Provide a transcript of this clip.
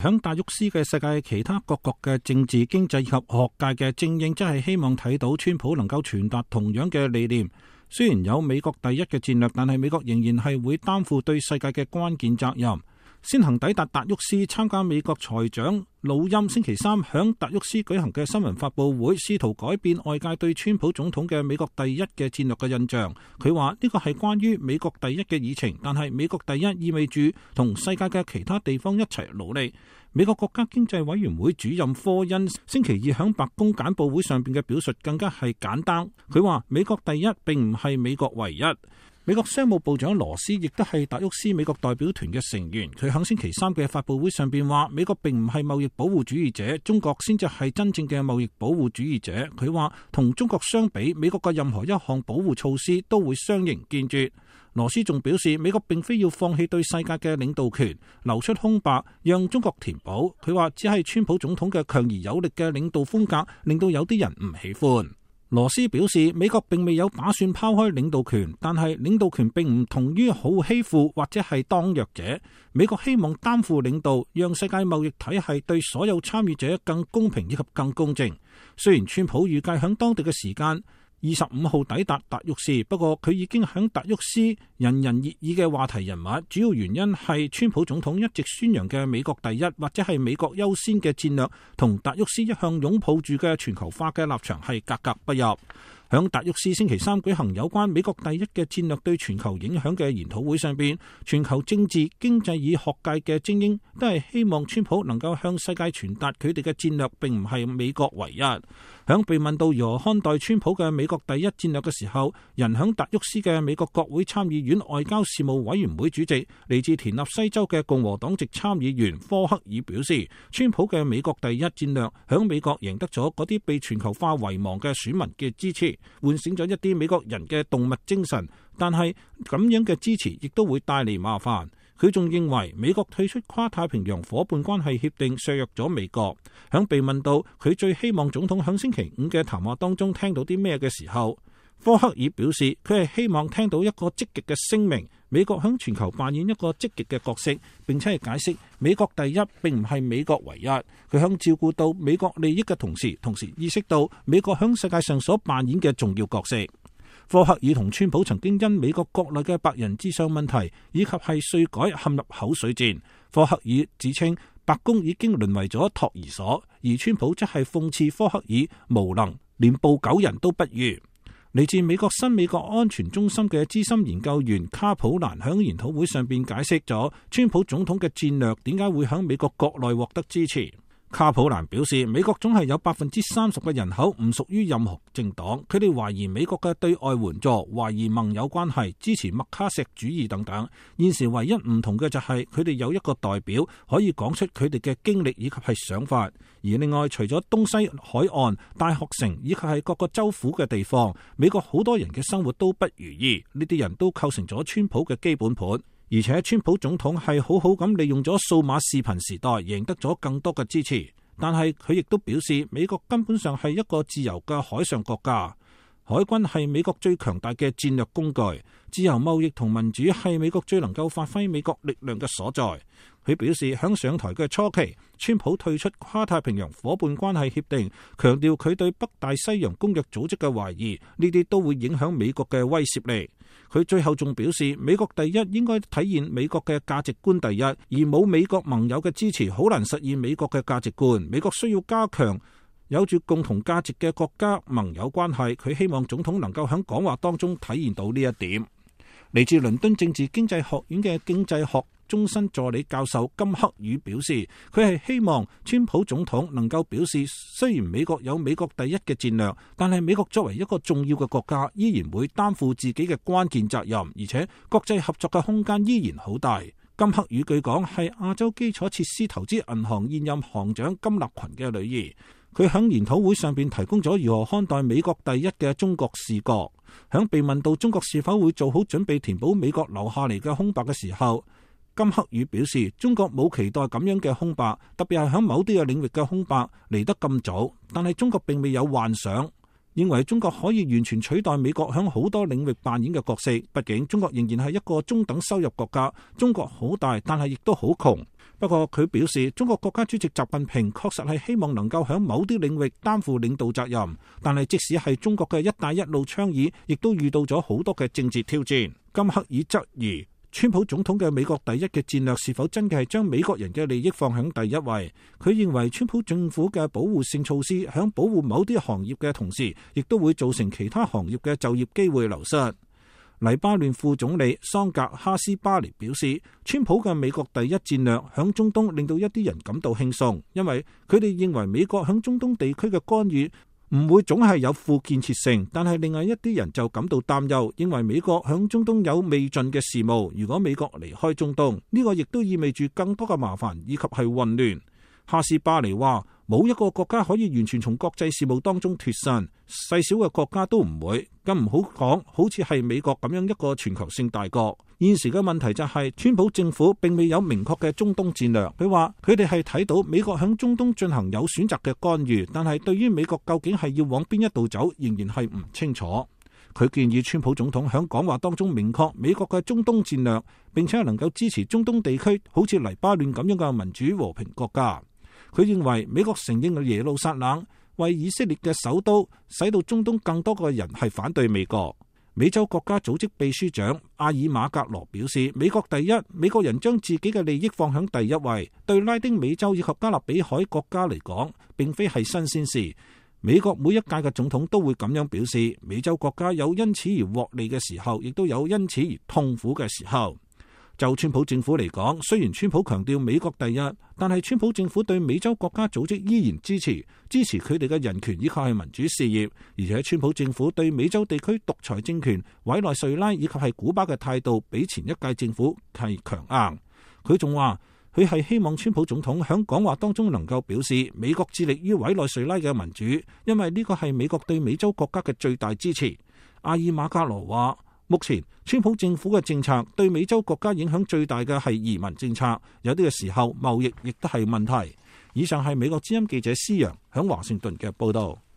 響達沃斯嘅世界其他各國嘅政治、經濟以及學界嘅精英，真係希望睇到川普能夠傳達同樣嘅理念。雖然有美國第一嘅戰略，但係美國仍然係會擔負對世界嘅關鍵責任。先行抵達達沃斯參加美國財長魯欽星期三響達沃斯舉行嘅新聞發佈會，試圖改變外界對川普總統嘅美國第一嘅戰略嘅印象。佢話呢個係關於美國第一嘅議程，但係美國第一意味住同世界嘅其他地方一齊努力。美國國家經濟委員會主任科恩星期二響白宮簡報會上邊嘅表述更加係簡單。佢話美國第一並唔係美國唯一。美國商務部長羅斯亦都係達沃斯美國代表團嘅成員，佢響星期三嘅發佈會上邊話，美國並唔係貿易保護主義者，中國先至係真正嘅貿易保護主義者。佢話同中國相比，美國嘅任何一項保護措施都會相形見絀。羅斯仲表示，美國並非要放棄對世界嘅領導權，留出空白讓中國填補。佢話只係川普總統嘅強而有力嘅領導風格令到有啲人唔喜歡。羅斯表示，美國並未有打算拋開領導權，但係領導權並唔同於好欺負或者係當弱者。美國希望擔負領導，讓世界貿易體系對所有參與者更公平以及更公正。雖然川普預計響當地嘅時間25號抵達達沃斯，不過佢已經響達沃斯人人熱議嘅話題人物，主要原因係川普總統一直宣揚嘅美國第一或者係美國優先嘅戰略，同達沃斯一向擁抱住嘅全球化嘅立場係格格不入。響達沃斯星期三舉行有關美國第一嘅戰略對全球影響嘅研討會上邊，全球政治、經濟與學界嘅精英都係希望川普能夠向世界傳達佢哋嘅戰略並唔係美國唯一。響被問到如何看待川普嘅美國第一戰略嘅時候，人響達沃斯嘅美國國會參議院外交事務委員會主席嚟自田納西州嘅共和黨籍參議員科克爾表示，川普嘅美國第一戰略響美國贏得咗嗰啲被全球化遺忘嘅選民嘅支持，喚醒咗一啲美國人嘅動物精神，但係咁樣嘅支持亦都會帶嚟麻煩。佢仲認為美國退出跨太平洋夥伴關係協定削弱咗美國。響被問到佢最希望總統響星期五嘅談話當中聽到啲咩嘅時候，科克爾表示佢係希望聽到一個積極嘅聲明，美國響全球扮演一個積極嘅角色，並且係解釋美國第一並唔係美國唯一。佢響照顧到美國利益嘅同時意識到美國響世界上所扮演嘅重要角色。科克爾同川普曾經因美國國內嘅白人至上問題以及係稅改陷入口水戰。科克爾指稱白宮已經淪為咗托兒所，而川普則係諷刺科克爾無能，連捕狗人都不如。嚟自美國新美國安全中心嘅資深研究員卡普蘭響研討會上邊解釋咗川普總統嘅戰略點解會響美國國內獲得支持。卡普蘭表示，美國總係有30%嘅人口唔屬於任何政黨，佢哋懷疑美國嘅對外援助，懷疑盟友關係，支持麥卡錫主義等等。現時唯一唔同嘅就係佢哋有一個代表可以講出佢哋嘅經歷以及係想法。而另外，除咗東西海岸、大學城以及係各個州府嘅地方，美國好多人嘅生活都不如意，呢啲人都構成咗川普嘅基本盤。而且川普總統係好好咁利用咗數碼視頻時代，贏得咗更多嘅支持。但係佢亦都表示，美國根本上係一個自由嘅海上國家，海軍係美國最強大嘅戰略工具，自由貿易同民主係美國最能夠發揮美國力量嘅所在。佢表示，響上台嘅初期，川普退出跨太平洋夥伴關係協定，強調佢對北大西洋公約組織嘅懷疑，呢啲都會影響美國嘅威懾力。佢最後仲表示，美國第一應該體現美國嘅價值觀第一，而冇美國盟友嘅支持，好難實現美國嘅價值觀。美國需要加強有住共同價值嘅國家盟友關係。佢希望總統能夠喺講話當中體現到呢一點。嚟自倫敦政治經濟學院嘅經濟學終身助理教授金克宇表示，佢係希望川普總統能夠表示，雖然美國有美國第一嘅戰略，但係美國作為一個重要嘅國家，依然會擔負自己嘅關鍵責任，而且國際合作嘅空間依然好大。金克宇據講係亞洲基礎設施投資銀行現任行長金立群嘅女兒。佢喺研討會上邊提供咗如何看待美國第一嘅中國視角。響被問到中國是否會做好準備填補美國留下嚟嘅空白嘅時候，金克宇表示，中國冇期待咁樣嘅空白，特別係喺某啲嘅領域嘅空白嚟得咁早，但係中國並未有幻想認為中國可以完全取代美國響好多領域扮演嘅角色。畢竟中國仍然係一個中等收入國家，中國好大，但係亦都好窮。不過佢表示，中國國家主席習近平確實係希望能夠響某啲領域擔負領導責任，但係即使係中國嘅一帶一路倡議，亦都遇到咗好多嘅政治挑戰。金克爾質疑川普總統嘅美國第一嘅戰略是否真嘅係將美國人嘅利益放喺第一位。佢認為川普政府嘅保護性措施響保護某啲行業嘅同時，亦都會造成其他行業嘅就業機會流失。黎巴嫩副總理桑格哈斯巴尼表示，川普嘅美國第一戰略響中東令到一啲人感到輕鬆，因為佢哋認為美國響中東地區嘅干預唔會總係有負建設性，但係另外一啲人就感到擔憂，認為美國響中東有未盡嘅事務。如果美國離開中東，呢個亦都意味住更多嘅麻煩以及係混亂。哈斯巴尼話，冇一個國家可以完全從國際事務當中脫身，細小嘅國家都唔會，更唔好講好似係美國咁樣一個全球性大國。現時嘅問題就係，川普政府並未有明確嘅中東戰略。佢話佢哋係睇到美國響中東進行有選擇嘅干預，但係對於美國究竟係要往邊一度走，仍然係唔清楚。佢建議川普總統響講話當中明確美國嘅中東戰略，並且係能夠支持中東地區好似黎巴嫩咁樣嘅民主和平國家。佢認為美國承認耶路撒冷為以色列嘅首都，使到中東更多嘅人係反對美國。美洲國家組織秘書長阿爾馬格羅表示，美國第一，美國人將自己嘅利益放響第一位，對拉丁美洲以及加勒比海國家嚟講，並非係新鮮事。美國每一屆嘅總統都會咁樣表示，美洲國家有因此而獲利嘅時候，亦都有因此而痛苦嘅時候。就川普政府嚟講，雖然川普強調美國第一，但係川普政府對美洲國家組織依然支持佢哋嘅人權以及係民主事業，而且川普政府對美洲地區獨裁政權委內瑞拉以及係古巴嘅態度比前一屆政府係強硬。佢仲話佢係希望川普總統響講話當中能夠表示美國致力於委內瑞拉嘅民主，因為呢個係美國對美洲國家嘅最大支持。阿爾馬加羅話，目前川普政府嘅政策對美洲國家影響最大嘅係移民政策，有啲嘅時候貿易亦都係問題。以上係美國之音記者施洋響華盛頓嘅報道。